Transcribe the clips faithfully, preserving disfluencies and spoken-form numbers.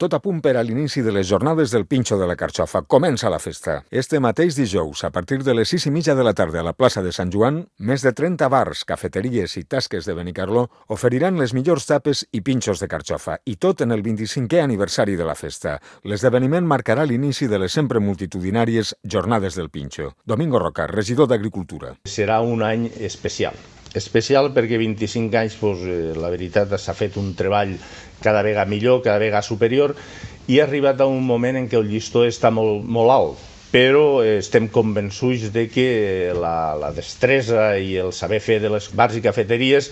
Tot a punt per a l'inici de les jornades del Pinxo de la Carxofa. Comença la festa. Este mateix dijous, a partir de les sis i mitja de la tarda a la plaça de Sant Joan, més de trenta bars, cafeteries i tasques de Benicarló oferiran les millors tapes i pinxos de carxofa, i tot en el vint-i-cinquè aniversari de la festa. L'esdeveniment marcarà l'inici de les sempre multitudinàries Jornades del Pinxo. Domingo Roca, regidor d'Agricultura. Serà un any especial. Especial perquè vint-i-cinc anys, doncs, eh, la veritat, s'ha fet un treball cada vegada millor, cada vegada superior, i ha arribat a un moment en què el llistó està molt, molt alt, però eh, estem convençuts de que la, la destresa i el saber fer de les bars i cafeteries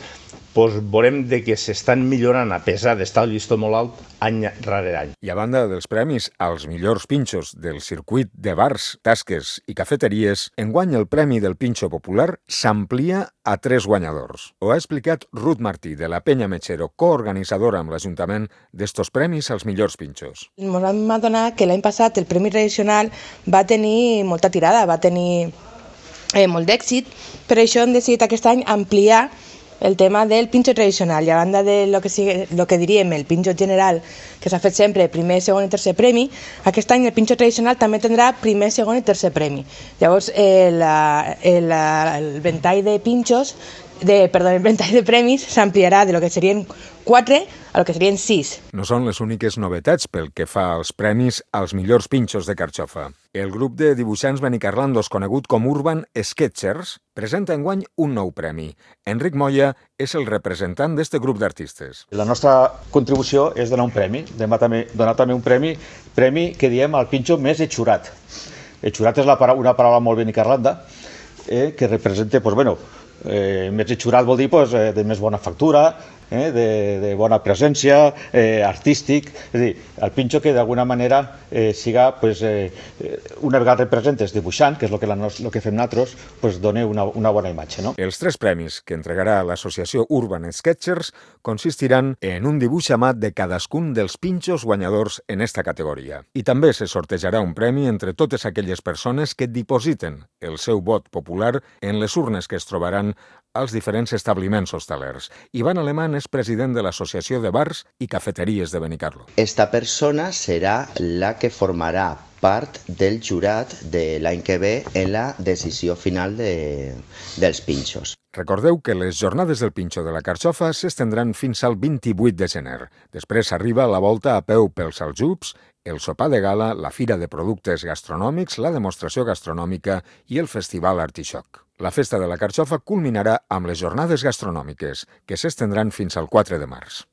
doncs veurem de que s'estan millorant a pesar d'estar el llistó molt alt any rere any. I a banda dels premis als millors pinxos del circuit de bars, tasques i cafeteries, enguany el Premi del Pinxo Popular s'amplia a tres guanyadors. Ho ha explicat Ruth Martí, de la Penya Mechero, coorganitzadora amb l'Ajuntament d'estos premis als millors pinxos. Ens vam adonar que l'any passat el Premi Tradicional va tenir molta tirada, va tenir eh, molt d'èxit, per això hem decidit aquest any ampliar el tema del pinxo tradicional, i a banda de lo que, sigue, lo que diríem el pinxo general, que s'ha fet sempre primer, segon i tercer premi, aquest any el pinxo tradicional també tindrà primer, segon i tercer premi. Llavors, eh, la, el, el ventall de pinxos, de, perdó, el ventall de premis s'ampliarà de lo que serien quatre a lo que serien sis. No són les úniques novetats pel que fa als premis als millors pinxos de carxofa. El grup de dibuixants benicarlandos conegut com Urban Sketchers presenta enguany un nou premi. Enric Moya és el representant d'este grup d'artistes. La nostra contribució és donar un premi, donar també, donar també un premi, premi que diem el pinxo més etxurat. Etxurat és la, una paraula molt benicarlanda, eh, que representa, pues, bueno, eh, més etxurat vol dir, pues, eh, de més bona factura, Eh, de, de bona presència, eh, artístic, és a dir, el pinxo que d'alguna manera eh, siga, pues, eh, una vegada representes dibuixant, que és el que, la nos, lo que fem nosaltres, pues, doni una, una bona imatge. No? Els tres premis que entregarà l'associació Urban Sketchers consistiran en un dibuix a mà de cadascun dels pinxos guanyadors en esta categoria. I també se sortejarà un premi entre totes aquelles persones que dipositen el seu vot popular en les urnes que es trobaran als diferents establiments hostalers. Ivan Alemán és president de l'Associació de Bars i Cafeteries de Benicarló. Esta persona serà la que formarà part del jurat de l'any que ve en la decisió final de, dels pinxos. Recordeu que les jornades del Pinxo de la Carxofa s'estendran fins al vint-i-vuit de gener. Després arriba la volta a peu pels Aljubs, el sopar de gala, la fira de productes gastronòmics, la demostració gastronòmica i el festival Artixoc. La festa de la Carxofa culminarà amb les jornades gastronòmiques, que s'estendran fins al quatre de març.